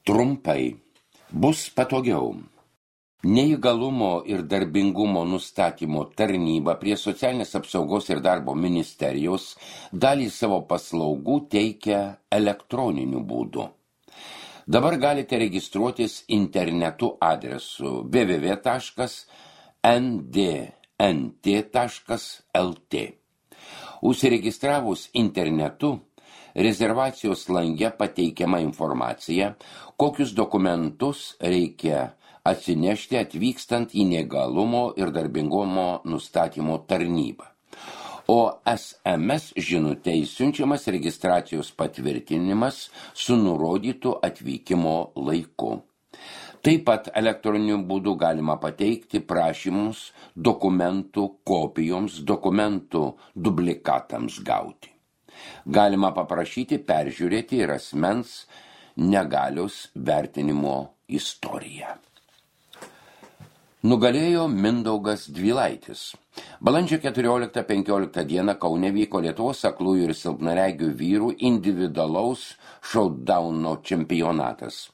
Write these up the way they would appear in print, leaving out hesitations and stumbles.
Trumpai. Bus patogiau. Neįgalumo ir darbingumo nustatymo tarnyba prie Socialinės apsaugos ir darbo ministerijos dalį savo paslaugų teikia elektroniniu būdu. Dabar galite registruotis internetu adresu www.ndnt.lt. Užsiregistravus internetu, rezervacijos lange pateikiama informacija, kokius dokumentus reikia atsinešti atvykstant į neįgalumo ir darbingumo nustatymo tarnybą. O SMS žinutei siunčiamas registracijos patvirtinimas su nurodytu atvykimo laiku. Taip pat elektroniniu būdu galima pateikti prašymus dokumentų kopijoms, dokumentų dublikatams gauti. Galima paprašyti peržiūrėti ir asmens negalios vertinimo istoriją. Nugalėjo Mindaugas Dvylaitis. Balandžio 14-15 dieną Kaune vyko Lietuvos aklųjų ir silpnaregių vyrų individualaus šaudauno čempionatas.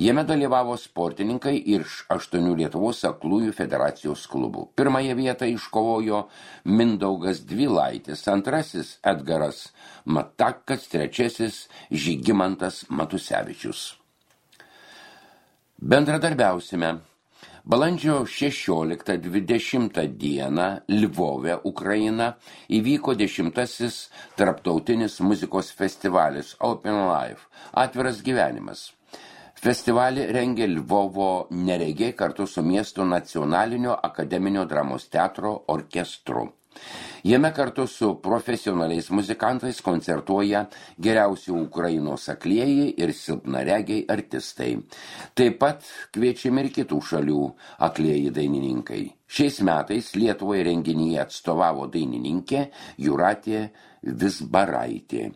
Jame dalyvavo sportininkai iš 8 Lietuvos aklųjų federacijos klubų. Pirmąją vietą iškovojo Mindaugas Dvylaitis, antrasis Edgaras Matakas, trečiasis Žygimantas Matusevičius. Bendradarbiausime. Balandžio 16-20 dieną Lvove, Ukraina, įvyko 10. tarptautinis muzikos festivalis Open Life – Atviras gyvenimas. Festivalį rengė Lvovo neregiai kartu su miesto nacionalinio akademinio dramos teatro orkestru. Jame kartu su profesionaliais muzikantais koncertuoja geriausi Ukrainos aklieji ir silpnaregiai artistai. Taip pat kviečiami ir kitų šalių aklieji dainininkai. Šiais metais Lietuvai renginyje atstovavo dainininkė Jūratė Vizbaraitė.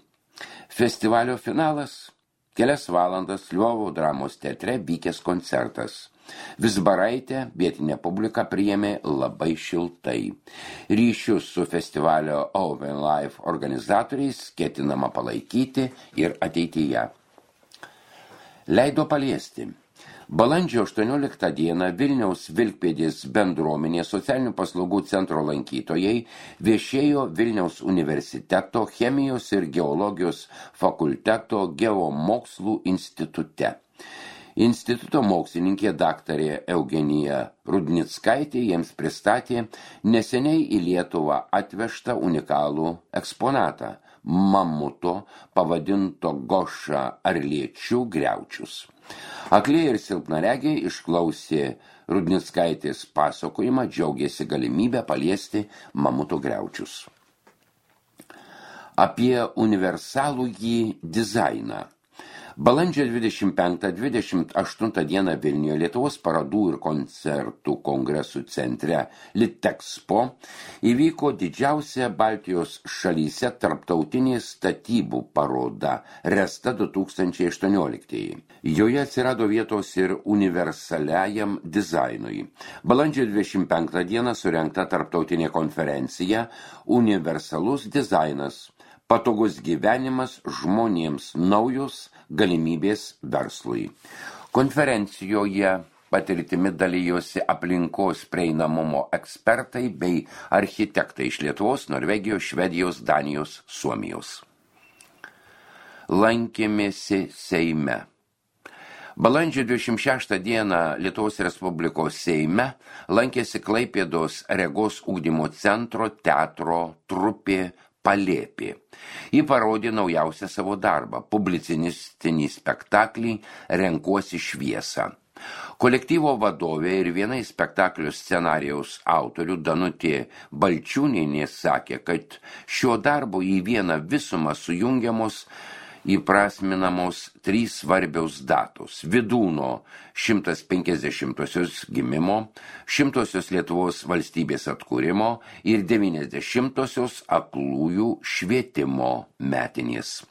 Festivalio finalas – kelias valandas Lvovo dramos teatre vykęs koncertas. Vizbaraitė vietinė publika priėmė labai šiltai. Ryšius su festivalio Open Life organizatoriais ketinama palaikyti ir ateityje. Leido paliesti. Balandžio 18 dieną Vilniaus Vilkpėdės bendruomenės socialinių paslaugų centro lankytojai viešėjo Vilniaus universiteto chemijos ir geologijos fakulteto geomokslų institute. Instituto mokslininkė daktarė Eugenija Rudnickaitė jiems pristatė neseniai į Lietuvą atvežtą unikalų eksponatą – mamuto pavadinto Goša Arliečių griaučius. Aklieji ir silpnaregiai išklausė Rudnickaitės pasakojimą, džiaugėsi galimybę paliesti mamuto griaučius. Apie universalųjį dizainą. Balandžio 25-28 dieną Vilniuje Lietuvos parodų ir koncertų kongresų centre Litexpo įvyko didžiausia Baltijos šalyse tarptautinė statybų paroda Resta 2018. Joje atsirado vietos ir universaliajam dizainui. Balandžio 25 dieną surengta tarptautinė konferencija Universalus dizainas. Patogus gyvenimas žmonėms, naujos galimybės verslui. Konferencijoje patirtimi dalijosi aplinkos prieinamumo ekspertai bei architektai iš Lietuvos, Norvegijos, Švedijos, Danijos, Suomijos. Lankėmėsi Seime. Balandžio 26 dieną Lietuvos Respublikos Seime lankėsi Klaipėdos regos ugdymo centro teatro trupė Palėpė. Ji parodė naujausią savo darbą – publicistinį spektaklį Renkuosi šviesą. Kolektyvo vadovė ir viena iš spektaklio scenarijaus autorių Danutė Balčiūnienė sakė, kad šio darbo į vieną visumą sujungiamos įprasminamos 3 svarbios datos – Vydūno 150-osios gimimo, 100-osios Lietuvos valstybės atkūrimo ir 90-osios aklųjų švietimo metinės.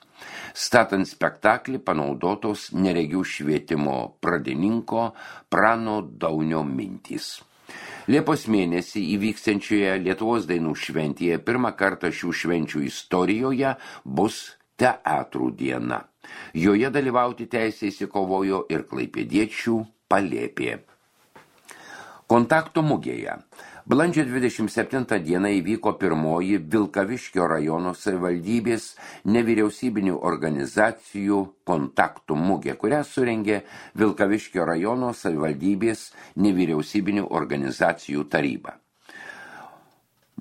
Statant spektaklį panaudotos neregių švietimo pradininko Prano Daunio mintys. Liepos mėnesį įvyksiančioje Lietuvos dainų šventėje pirmą kartą šių švenčių istorijoje bus teatrų diena. Joje dalyvauti teisę įsikovojo ir klaipėdiečių Palėpė. Kontaktų mugėje. Balandžio 27 dieną įvyko pirmoji Vilkaviškio rajono savivaldybės nevyriausybinių organizacijų kontaktų mugė, kurią surengė Vilkaviškio rajono savivaldybės nevyriausybinių organizacijų taryba.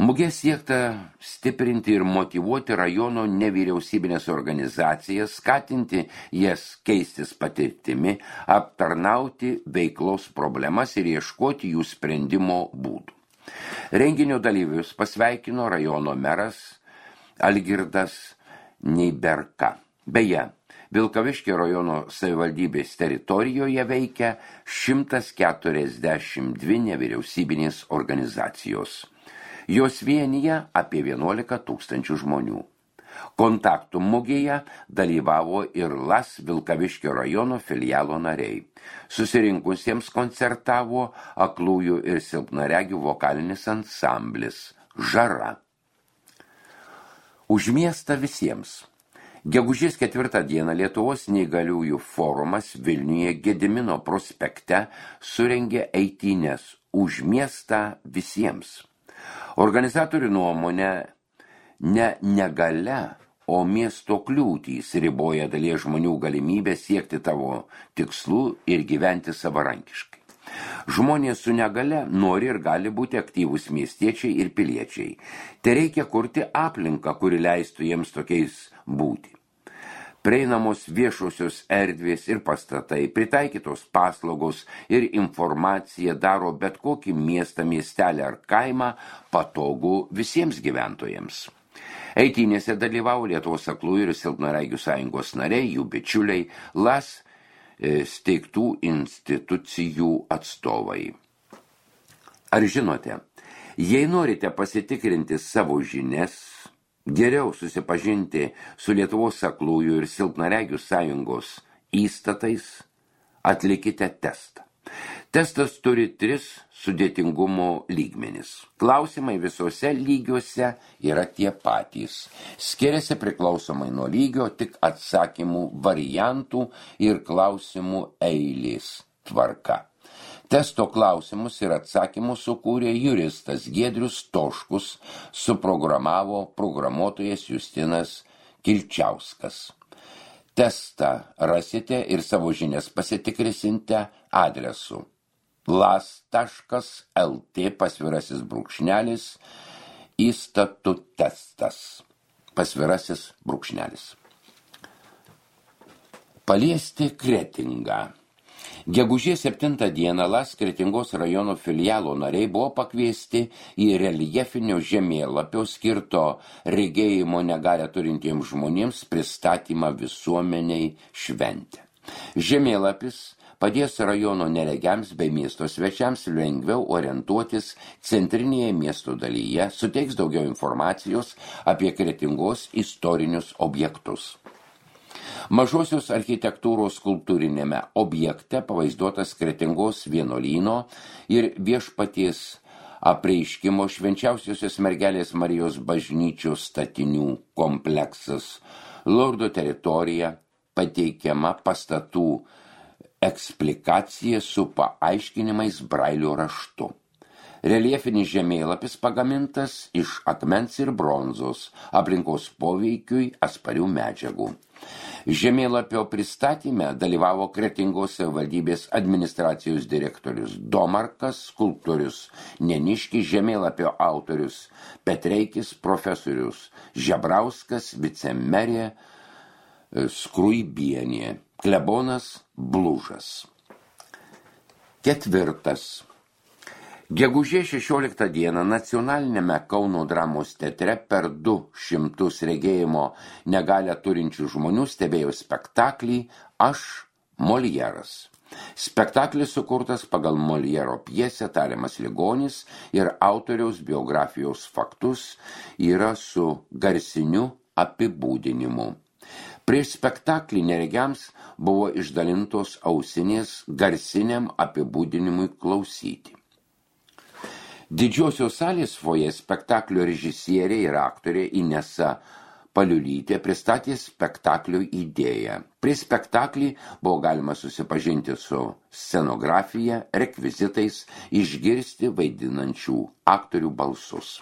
Mugė siekta stiprinti ir motyvuoti rajono nevyriausybinės organizacijas, skatinti jas keistis patirtimi, aptarnauti veiklos problemas ir ieškoti jų sprendimo būdų. Renginio dalyvius pasveikino rajono meras Algirdas Neiberka. Beje, Vilkaviškio rajono savivaldybės teritorijoje veikia 142 nevyriausybinės organizacijos. Jos vienyje apie 11 000 žmonių. Kontaktų mugėje dalyvavo ir LAS Vilkaviškio rajono filialo nariai. Susirinkusiems koncertavo aklųjų ir silpnaregių vokalinis ansamblis Žara. Už miestą visiems. Gegužės 4 dieną Lietuvos neįgaliųjų forumas Vilniuje Gedimino prospekte surengė eitynes Už miestą visiems. Organizatorių nuomonė ne negalia, o miesto kliūtys riboja dalies žmonių galimybę siekti tavo tikslų ir gyventi savarankiškai. Žmonės su negale nori ir gali būti aktyvūs miestiečiai ir piliečiai. Tai reikia kurti aplinką, kuri leistų jiems tokiais būti. Prieinamos viešosios erdvės ir pastatai, pritaikytos paslaugos ir informacija daro bet kokį miestą, miestelį ar kaimą patogų visiems gyventojams. Eitynėse dalyvavo Lietuvos aklųjų ir silpnaregių sąjungos nariai, jų bičiuliai, LAS steigtų institucijų atstovai. Ar žinote, jei norite pasitikrinti savo žinias, geriau susipažinti su Lietuvos aklųjų ir silpnaregių sąjungos įstatais, atlikite testą. Testas turi 3 sudėtingumo lygmenis. Klausimai visose lygiuose yra tie patys. Skiriasi priklausomai nuo lygio tik atsakymų variantų ir klausimų eilės tvarka. Testo klausimus ir atsakymus sukūrė juristas Giedrius Toškus, suprogramavo programuotojas Justinas Kilčiauskas. Testą rasite ir savo žinias pasitikrinsite adresu las.lt įstatų testas. Paliesti Kretingą. Gegužės 7 dieną LAS Kretingos rajono filialo nariai buvo pakviesti į reljefinio žemėlapio skirto regėjimo negalią turintiems žmonėms pristatymą visuomeniai šventę. Žemėlapis padės rajono neregiams bei miesto svečiams lengviau orientuotis centrinėje miesto dalyje, suteiks daugiau informacijos apie Kretingos istorinius objektus. Mažosios architektūros kultūrinėme objekte pavaizduotas Kretingos vienuolyno ir viešpaties apreiškimo Švenčiausiosios mergelės Marijos bažnyčios statinių kompleksas. Lordo teritorija pateikiama pastatų eksplikacija su paaiškinimais brailio raštu. Reljefinis žemėlapis pagamintas iš akmens ir bronzos, aplinkos poveikiui atsparių medžiagų. Žemėlapio pristatyme dalyvavo Kretingos savivaldybės administracijos direktorius Domarkas, skulptorius Neniškis, žemėlapio autorius Petreikis, profesorius Žebrauskas, vicemerė Skruibienė, klebonas Blužas. 4. Gegužės 16 dieną nacionalinėme Kauno dramos teatre per 200 regėjimo negalią turinčių žmonių stebėjo spektaklį Aš Moljeras. Spektaklis sukurtas pagal Moljero pjesę Tariamas ligonis ir autoriaus biografijos faktus yra su garsiniu apibūdinimu. Prieš spektaklį neregiams buvo išdalintos ausinės garsiniam apibūdinimui klausyti. Didžiosios salės foje spektaklio režisierė ir aktorė Inesa Paliulytė pristatė spektaklio idėją. Prie spektaklį buvo galima susipažinti su scenografija, rekvizitais, išgirsti vaidinančių aktorių balsus.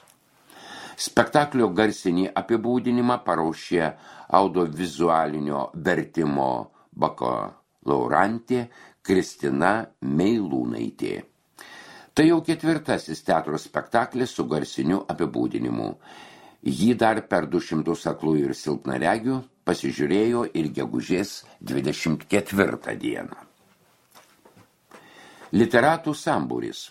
Spektaklio garsinį apibūdinimą paruošė audiovizualinio vertimo bakalaurantė Kristina Meilūnaitė. Tai jau 4. teatro spektaklis su garsiniu apibūdinimu. Jį dar per 200 aklųjų ir silpnaregių pasižiūrėjo ir gegužės 24 dieną. Literatų sambūris.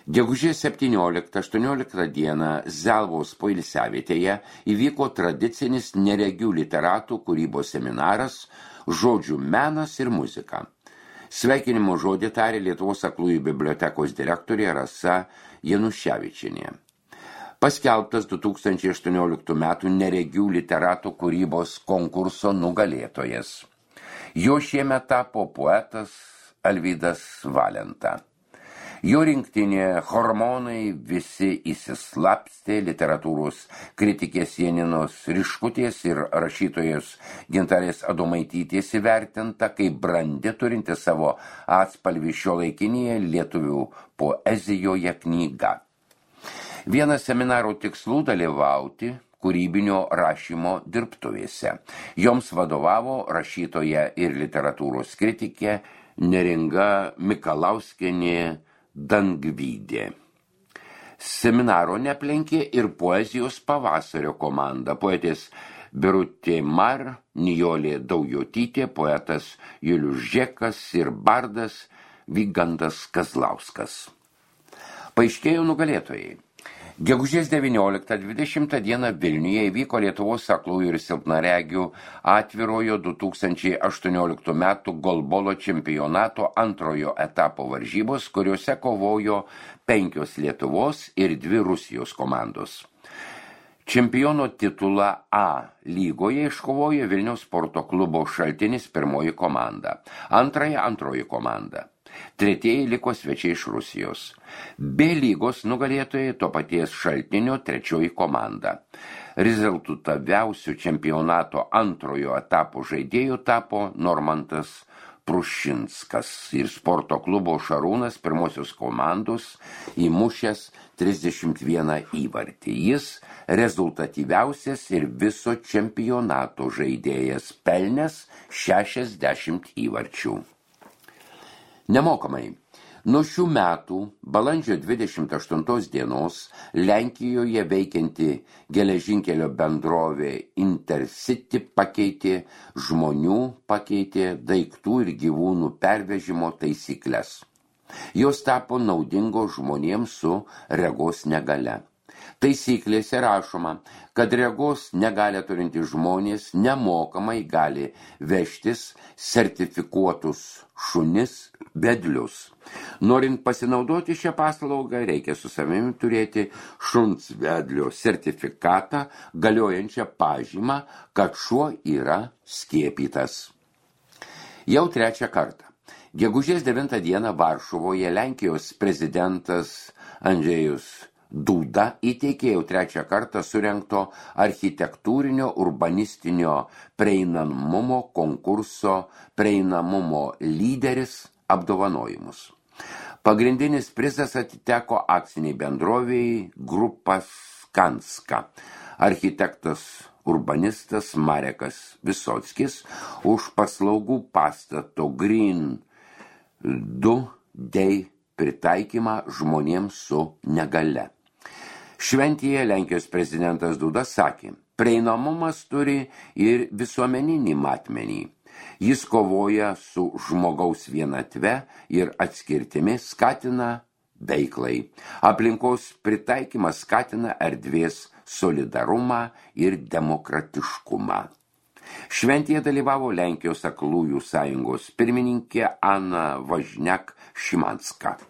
Gegužės 17-18 dieną Zelvos poilsiavietėje įvyko tradicinis neregių literatų kūrybos seminaras Žodžių menas ir muzika. Sveikinimo žodį tarė Lietuvos aklųjų bibliotekos direktorė Rasa Januševičienė. Paskelbtas 2018 metų neregių literatų kūrybos konkurso nugalėtojas. Jo šiemet tapo poetas Alvydas Valenta. Jo rinktinė Hormonai visi įsislapstė literatūros kritikės Janinos Riškutės ir rašytojos Gintarės Adomaitytės įvertinta kaip brandi turinti savo atspalvį šiuolaikinėje lietuvių poezijoje knyga. Vienas seminaro tikslų dalyvauti kūrybinio rašymo dirbtuvėse. Joms vadovavo rašytoja ir literatūros kritikė Neringa Mikalauskienė Dangvydė. Seminaro neplenkė ir poezijos pavasario komanda. Poetės Birutė Mar, Nijolė Daujotytė, poetas Julius Žekas ir bardas Vygantas Kazlauskas. Paaiškėjo nugalėtojai. Gegužės 19-20 dieną Vilniuje įvyko Lietuvos aklųjų ir silpnaregių atvirojo 2018 metų golbolo čempionato antrojo etapo varžybos, kuriuose kovojo 5 Lietuvos ir 2 Rusijos komandos. Čempiono titulą A lygoje iškovojo Vilniaus sporto klubo Šaltinis pirmoji komanda, antroji komanda. Tretieji liko svečiai iš Rusijos. B lygos nugalėtojai to paties Šaltinio trečioji komanda. Rezultatyviausių čempionato antrojo etapo žaidėjų tapo Normantas Prušinskas ir sporto klubo Šarūnas pirmosios komandos įmušęs 31 įvartį. Jis rezultatyviausias ir viso čempionato žaidėjas pelnęs 60 įvarčių. Nemokamai. Nuo šių metų balandžio 28 dienos Lenkijoje veikianti geležinkelio bendrovė Intercity pakeitė daiktų ir gyvūnų pervežimo taisykles. Jos tapo naudingos žmonėms su regos negalia. Taisyklėse rašoma, kad regos negalią turintys žmonės nemokamai gali vežtis sertifikuotus šunis vedlius. Norint pasinaudoti šią paslaugą, reikia su savimi turėti šuns vedlio sertifikatą, galiojančią pažymą, kad šuo yra skiepytas. Jau 3 kartą. Gegužės 9 dieną Varšuvoje Lenkijos prezidentas Andžejus Duda įteikė jau 3 kartą surengto architektūrinio urbanistinio prieinamumo konkurso prieinamumo lyderis apdovanojimus. Pagrindinis prizas atiteko akciniai bendrovei Grupa Skanska. Architektas urbanistas Marekas Visockis už paslaugų pastato Green 2D pritaikymą žmonėms su negalia. Šventėje Lenkijos prezidentas Duda sakė, prieinamumas turi ir visuomeninį matmenį. Jis kovoja su žmogaus vienatve ir atskirtimi, skatina veiklai. Aplinkos pritaikymas skatina erdvės solidarumą ir demokratiškumą. Šventėje dalyvavo Lenkijos aklųjų sąjungos pirmininkė Ana Važniak Šimanska.